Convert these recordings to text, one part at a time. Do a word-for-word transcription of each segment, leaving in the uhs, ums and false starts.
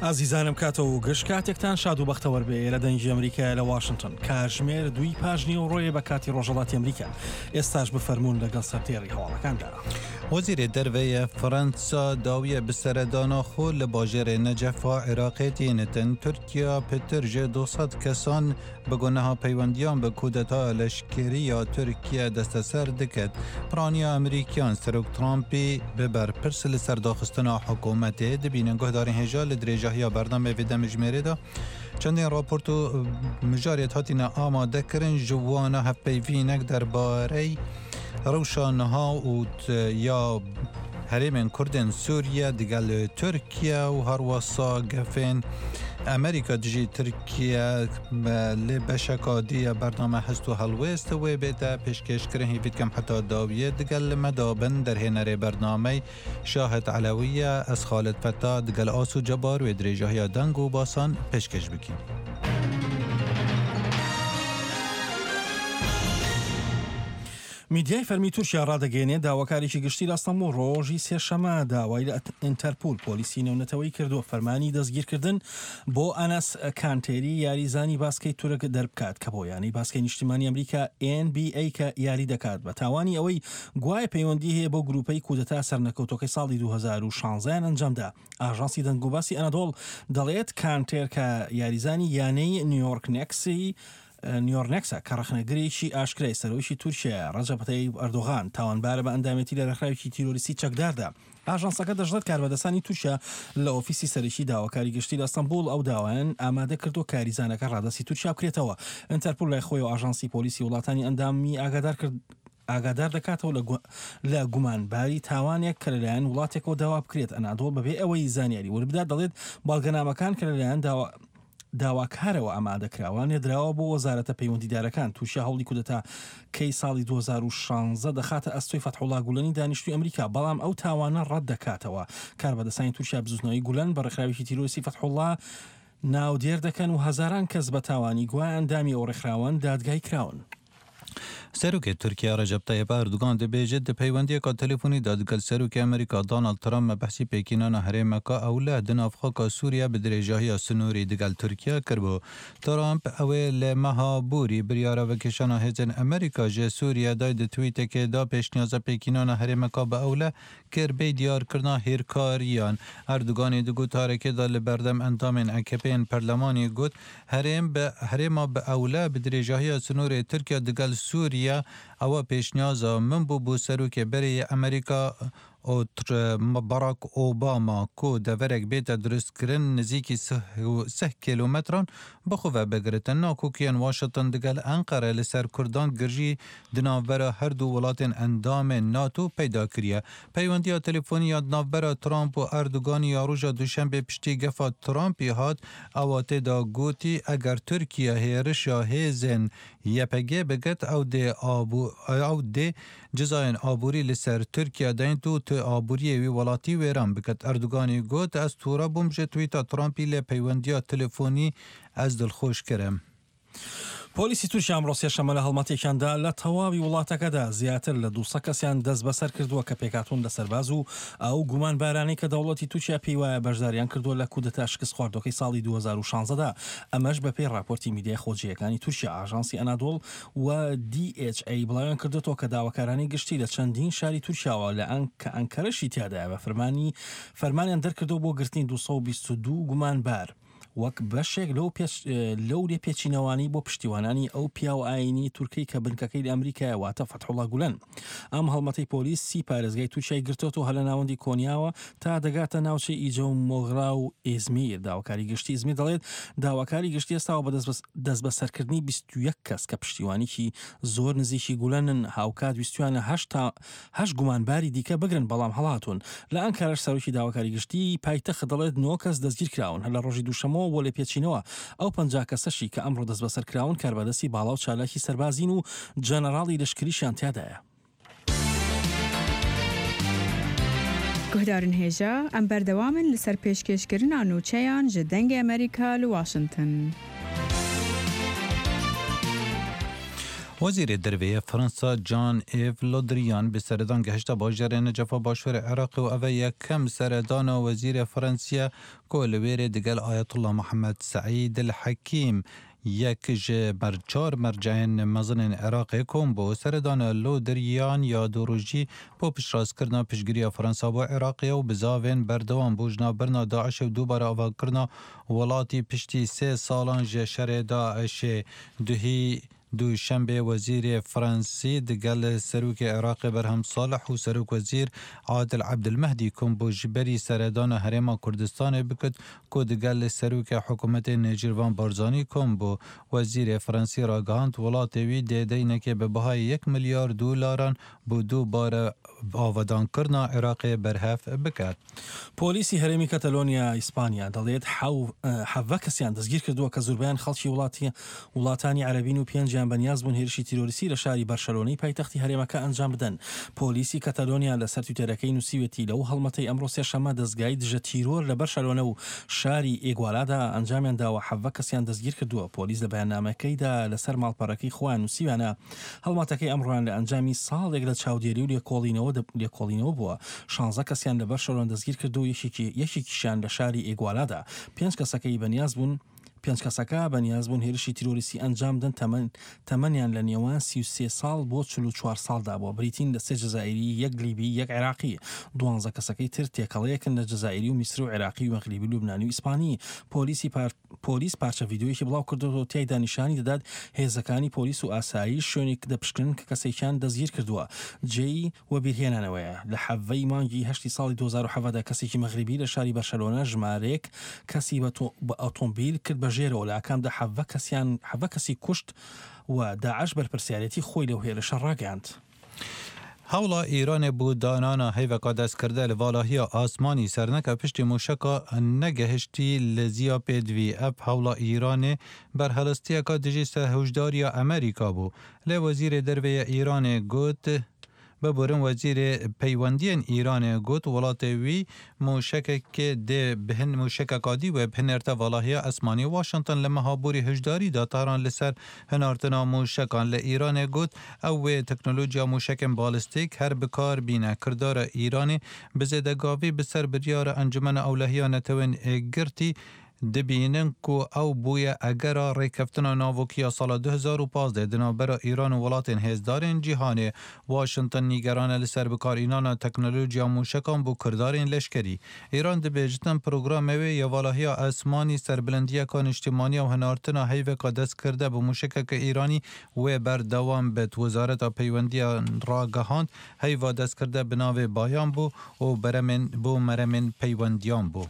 ئازیزانم کاتەوە و گشت کاتێکتان شاد و بەختەوەر بێ لە دەنگی ئەمریکا لە واشنگتن کاژمێر دووی پاژنی ڕۆیە بە کاتی ڕۆژهەڵاتی ئەمریکا. ئێستاش بفەرمونون لەگەڵ سەرتێری هەواڵەکاندا. وەزیرێ دەرڤەیە فەرەنسا داویە بسەرەدانا خۆ لە باژێرێ نەجەفا عێراقێ تێنتن. تورکیا پتر ژێ دووسەد کەسان بە گونەها پەیوەندیان بە کودەتا لەشکرییا تورکیا دەستەسەر دکت. پرانیا ئەمریکیان سەرۆک ترامپی بە بەرپرس لە سەرداخستنا حکوومەتێ دبینن. گوهدارین هێژا لە درێژەهیا بەرنامەی vê demijmêrê چەندین راپۆرت و مژارێت هاتینە ئامادەکردن ژوانە هەپەیڤینەک دەربارەی ڕەوشا نها و یا هەرێمên کوردên Sûriye digel Tirkiye û herwesa gefên Amerîka dijî Tirkiye lê beşeka diye bername hest û helwêst wê bête pêşkêşkirin. Hêvî dikim heta dawiyê digel me dabin. Derhênerê bernamey Şahid Elewiye, ez Xalid Feta digel Asu Cebar wê dirêjahiya deng û basan pêşkêş bikîn. میدیای فەرمی تورکیا ڕادەگەیەنێت داواکارێکی گشتی لە ئەستەنبوڵ ڕۆژی سێشەمە داوای لە ئینتەرپول پۆلیسی نێونەتەوەی کردووە فەرمانی دەستگیرکردن بۆ ئەنەس کانتێری یاریزانی باسکەی تورک دەربکات کە بۆ یانەی باسکەی نیشتیمانی ئەمریکا N B A کە یاری دەکات بە تاوانی ئەوەی گوایە پەیوەندی هەیە بۆ گروپەی کودەتا سەرنەکەوتەکەی ساڵی دوو هەزار و شانزە ئەنجامدا. ئاژانسی دەنگوباسی ئەنادۆڵ دەڵێت کانتێر کە یاریزانی یانەی نیویۆرک نێکسی نیویۆرک نێکسە کە ڕەخنەگرێکی ئاشکرای سەرۆکی تورکیا ڕەجەب تەیب ئەردۆغان تاوانبارە بە ئەندامێتی لە ڕێکخراوێکی تیرۆریستی چەکداردا. ئاژانسەکە دەشڵێت کاربەدەستانی تورکیا لە ئۆفیسی سەرەکی داواکاری گشتی لە ئەستەنبوڵ ئەو داوایان ئامادە کردو کاریزانەکە ڕادەستی تورکیا بکرێتەوە. ئینتەرپول لای خۆی و ئاژانسی پۆلیسی وڵاتانی ئەندامی ئاگادار کرد ئاگادار دەکاتەوە لە گومانباری تاوانێک کە لەلایەن وڵاتێکەوە داوا بکرێت. ئەنادۆڵ بەبێ ئەوەی زانیاری ورد بدات دەڵێت بەڵگەنامەکان کە لەلایەن داوا داواکارەوە ئامادەکراوە نێدراوە بۆ وەزارەتە پەیوەندیدارەکان. تورکیا هەوڵی کودەتا کەی ساڵی دوو هەزار و شانزە دەخاتە ئەستۆی فەتحوڵا گولەنی دانیشتوی ئەمریکا، بەڵام ئەو تاوانە ڕەت دەکاتەوە. کاربەدەستانی تورکیا بزوتنەوەی گولەن بە ڕێکخراوێکی تیرۆریستی فەتحوڵا ناودێر دەکەن و هەزاران کەس بە تاوانی گوایە ئەندامی ئەو ڕێکخراوەن دادگای کراون. سەرۆکێ تورکیا ڕەجەب تەیب ئەردۆغان دبێژێت di peywendiyeka telefonî de digel serokê Amerîka Donald Trump me behsî pêkînana herêmeka ewle di nav xaka Sûriye bi dirêjahiya sinûrî digel Tirkiye kiribû. Trump ew ê li meha borî biryara vekêşana hêzên Amerîka ji Sûriye day di tweetekê da pêşniyaza pêkînana herêmeka bi ewle kir bê diyarkirina hêrkariyan. Erdoganê di gotarekê de li berdem endamên A K P'ên perlemanî got herêm bi herêma bi ewle bi dirêjahiya sinûrê Tirkiye digel Sûriye ew pêşniyaza min bû bû serokê berê yê Amerîka Barack Obama ku deverek bête dirustkirin nêzîkî sih kîlometran bi xwe ve bigirtin. Nakokiyên Washington digel Enqere li ser Kurdan girjî di navbera her du welatên endamên NATO peyda kiriye. Peywendiya telefonî ya di navbera Trump û Erdoganî ya roja Duşembê piştî gefa Trumpî hat ew tê de gotî eger Tirkiye hêrişa hêzên Y P G bigirt ew dê ew dê cezayên aborî li ser Tirkiye deynt û tu aboriyê wî welatî wêran biket. Erdoganî got ez tûre bûm ji tweeta Trumpî lê peywendiya telefonî ez dilxweş kirim. پۆلیسی تورکیا ئەمڕۆ سێشەممە لە هەڵمەتێکیاندا لە تەواوی وڵاتەکەدا زیاتر لە دووسەد کەسیان دەست بەسەر کردووە کە پێکاتون لە سەرباز و ئەو گومانبارانەی کە دەوڵەتی تورکیا پێی وایە بەشداریان کردووە لە کودەتا شکست خواردوەکەی ساڵی دوو هەزار و شانزە دا. ئەمەش بەپێی راپۆرتی میدیای خۆجێیەکانی تورکیا. ئاژانسی ئەنادۆڵ و D H A بڵاویان کردوەوە کە داواکارانی گشتی لە چەندین شاری تورکیاوە لە ئەن کە ئەنکەرەشی تیادایە بە فەرمانی فەرمانیان دەرکردەوە بۆ گرتنی دوو سەد و بیست و دوو گومانبار وەک بەشێک لەو لەو لێپێچینەوانی بۆ پشتیوانانی ئەو پیاو ئاینی تورکی کە بنکەکەی لە ئەمریکایە، واتە فەتحوڵا گولەن. ئەم هەڵمەتەی پۆلیس سی پارێزگای تورکیای گرتووە هەر لە ناوەندی کۆنیاوە تا دەگاتە ناوچەی ئیجە و مۆغرا و ئێزمیر. داواکاری گشتی ئیزمیر دەڵێت داواکاری گشتی هەستاوە بە دەست بەسەرکردنی بیست و یەک کەس کە پشتیوانیکی زۆر نزیکی گولەنن. هاوکات ویستویانە هەشت گومانباری دیکە بگرن، بەڵام هەڵاتون. لە ئەنکەرەش سەرۆکی داواکاری گشتی پایتەخت دەڵێت نۆ کەس دەستگیر کراون هەر لە ڕۆژی دووشەمەوە بۆ لێپێچینەوە. ئەو پەنجا کەسەشی کە ئەمڕۆ دەست بەسەر کراون کاربەدەستی باڵا و چالاکی سەربازین و جەنەراڵی لەشکریشیان تیادایە. Guhdarên hêja, em berdewam in li ser pêşkêşkirina nûçeyan ji Dengê Amerîka li Washington. Wezîrê Derve yê Fransa Jean Yves Le Drian bi seredan gehişta bajarê Necefa Başûrê Iraqê û ev yekem seredana wezîrê Fransiye ku li wêrê digel Ayetullah Muhammed Seîd El Hekîm yek ji çar merceyên mezinên Iraqê kom bû. Seredana Le Drian ya du rojî bo piştrastkirina piştgiriya Fransa bo Iraqê û bizavên berdewam bû ji navbirina Daişê û dubare avakirina welatî piştî sê salan ji şerê Daişê duhî Duşembê wezîrê Fransî digel Serokê Iraqê Berhem Salih û Serokwezîr Adil Ebdulmehdî kom bû ji berî seredana Herêma Kurdistanê bikit ku digel Serokê Hikûmetê Nêçîrvan Barzanî kom bû. Wezîrê Fransî ragihand welatê wî dê deynekê bi bihayê yek milyar dolaran bo dubare avadanکردنا Iraqê berhev bike. پۆلیسی هەرێمی کەتەلۆنیا ئیسپانیا دەڵێت حەڤە کەسیان دەستگیر کردووە کە زۆربەیان خەڵکی وڵاتی وڵاتانی عەرەبین و پێنجیان بەنیاز بوون هێرشی تیرۆریستی لە شاری بەرشەلۆنەی پایتەختی هەرێمەکە ئەنجام بدەن. پۆلیسی کەتەلۆنیا لەسەر تویتەرەکەی نووسیوێتی لەو هەڵمەتەی ئەمڕۆ سێشەممە دەزگای دژە تیرۆر لە بەرشەلۆنە و شاری ئێگوالادا ئەنجامیان داوە حەڤە کەسیان دەستگیر کردووە. پۆلیس لە بەیاننامەکەیدا لەسەر ماڵپەڕەکەی خۆیان نووسیویانە هەڵمەتەکەی ئەمڕۆیان لە ئەنجامی ساڵێک لە چاودێری و لێکۆڵینەوە لێکۆڵینەوە بووە. شانزە کەسیان لە بەرشەلۆنە دەستگیر کردو یەکێکیشیان لە شاری ئێگوالادا. پێنج کەسەکەی بەنیاز بوون پێنج کەسەکە بەنیاز بوون هێرشی تیرۆریستی ئەنجام دەن تەمەن تەمەنیان لە نێوان سی و سێ ساڵ بۆ چل و چوار ساڵدا بووە، بریتین لە سێ جەزائیری، یەک لیبی، یەک عێراقی. دوانزە کەسەکەی تر تێکەڵەیەکن لە جەزائیری و میسر و عێراقی و مەغریبی و لوبنانی و ئیسپانی. پۆلیسی پۆلیس پارچە ڤیدیۆیەکی بڵاو کردووە تیایدا نیشانی دەدات هێزەکانی پۆلیس و ئاسایش شوێنێک دەپشکنن کە کەسێکیان دەستگیر کردووە. جێی وەبیرهێنانەوەیە لە حەڤەی مانگی هەشتی ساڵی دوو هەزار و حەڤدە کەسێکی مەغریبی لە شاری بەرشەلۆنە ژمارەیەک کەسی بە ئۆتۆمبیل کرد بە ژێرەوە، لە ئاکامدا حەڤە کەسیان حەڤە کەسی کوشت و داعش بەرپرسیارێتی خۆی لەو هێرشە ڕاگەیاند. هەوڵا ئێرانێ بۆ دانانا هەیڤەکە دەستکردە لە ڤالاهیا ئاسمانی سەرنەکە پشتی موشەکە نەگەهشتی لە زیا پێدوی. ئەف هەوڵا ئێرانێ بەرهەڵستیەکە دژی هۆشداریە ئەمریکا بوو. لێ وەزیرê derveyê Îranê got ببورن وەزیرê peywendiyên Îranê got welatê wî moşekekê dê bihin moşekeka dî wê bihinêrte valahiya esmanî. Washington li meha borî hişdarî da Tehran li ser hinartina moşekan li Îranê got ew wê teknolojiya moşekên balistîk her bikar bîne. Kirdara Îranê bi zêdegavî bi ser biryara Encumena Ewlehiya Netewên Girtî dibînin ku ew bûye egera rêkeftina navokiya sala du hezar û pazdeh di navbera Îran û welatên hêzdarên cîhanê. Washington nîgerane li ser bikarînana teknolojiya moşekan bo kirdarên leşkerî. Îran dibêjitin programê wê ya valahiya esmanî serbilindiyeka niştîmaniya û hinartina heyveka destkirde bi moşekeke Îranî wê berdewam bit. Wezareta Peywendiyan ragihand heyva destkirde bi navê Bayan bû û beremên bo meremên peywendiyan bû.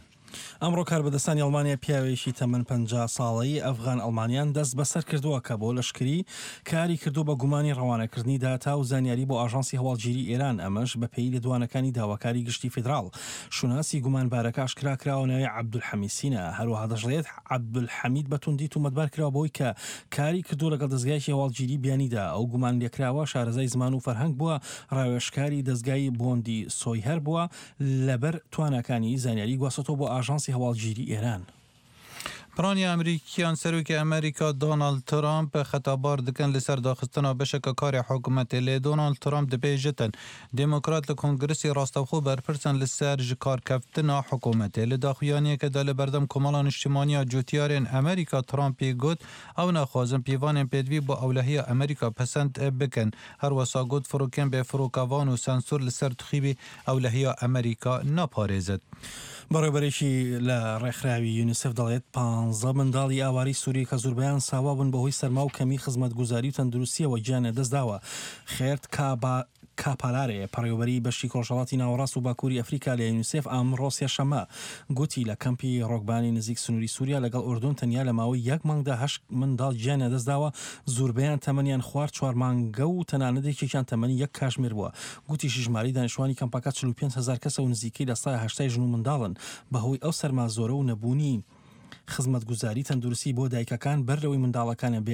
ئەمڕۆ کاربەدەستانی ئەڵمانیا پیاوێکی تەمەن پەنجا ساڵەی ئەفغان ئەڵمانیان دەست بەسەر کردووە کە بۆ لەشکری کاری کردو بە گومانی ڕەوانەکردنی داتا و زانیاری بۆ ئاژانسی هەواڵگیری ئێران، ئەمەش بەپێی لێدوانەکانی داواکاری گشتی فیدراڵ. شوناسی گومانبارەکە ئاشکرا کراوە ناوی عەبدولحەمید سینە. هەروەها دەشڵێت عەبدولحەمید بە توندی تۆمەتبار کراوە بەوەی کە کاری کردو لەگەڵ دەزگایەکی هەواڵگیری بیانیدا. ئەو گومان لێکراوە شارەزای زمان و فەرهەنگ بووە، ڕاوێژکاری دەزگای بۆندی سۆیهەر بووە، لەبەر تواناکانی زانیاری گواستەوە بۆ ئاژانسی هەواڵگیری ئێران. پرانی ئەمریکیان سەرۆکی ئەمریکا دۆناڵد ترامپ خەتابار دکەن لەسەر داخستنا بەشەکە کاری حکوومەتێ. لێ دۆناڵد ترامپ دەبێژێتن دێموکرات لە کۆنگرسی ڕاستەوخۆ بەرپرسن لەسەر ji karkeftina حکوومەتێ. لە daxuyaniyekê de li berdem Komala Niştîmaniya Cotiyarên Amerîka Trumpê got ew naxwazin pîvanên pêdivî bo ewlehiya Amerîka pesend bikin. Herwesa got firokên bêfirokevan û sensor li ser tuxîbê ewlehiya Amerîka naparêzit. بەڕێوەبەرێکی لە ڕێکخراوی یونیسف دەڵێت پانزە منداڵی ئاواری سووری کە زۆربەیان ساوا بوون بەهۆی سەرما و کەمی خزمەتگوزاری و تەندروستیەوە گیانیان دەستداوە. خێرت کاپالارێ پەڕێوەبەری بەشی ڕۆژهەڵاتی ناوەڕاست و باکووری ئەفریکا لە یونیسێف ئەمڕۆ سێشەممە گوتی لە کەمپی ڕۆکبانی نزیک سنووری سووریا لەگەڵ ئوردون تەنیا لە ماوەی یەک مانگدا هەشت منداڵ گیانیان دەستداوە، زۆربەیان تەمەنیان خوار چوار مانگە و تەنانەت یەکێکیان تەمەنی یەک کاژمێر بووە. گوتیشی ژمارەی دانیشتوانی کەمپەکە چل و پێنج هەزار کەسە و نزیکەی لە سەدا هەشتای ژن و منداڵن. بەهۆی ئەو سەرما زۆرە و نەبوونی خزمەتگوزاری تەندروستی بۆ دایکەکان بەر لەوەی منداڵەکانیان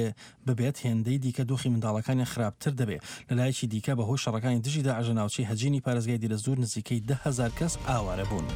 ببێت هێندەی دیکە دۆخی منداڵەکانیان خراپتر دەبێت. لەلایەکی دیکە بەهۆی شەڕەکانی دژی داعش لە ناوچەی هەجینی پارێزگای دیرەزوور نزیکەی ده هەزار کەس ئاوارە بوون.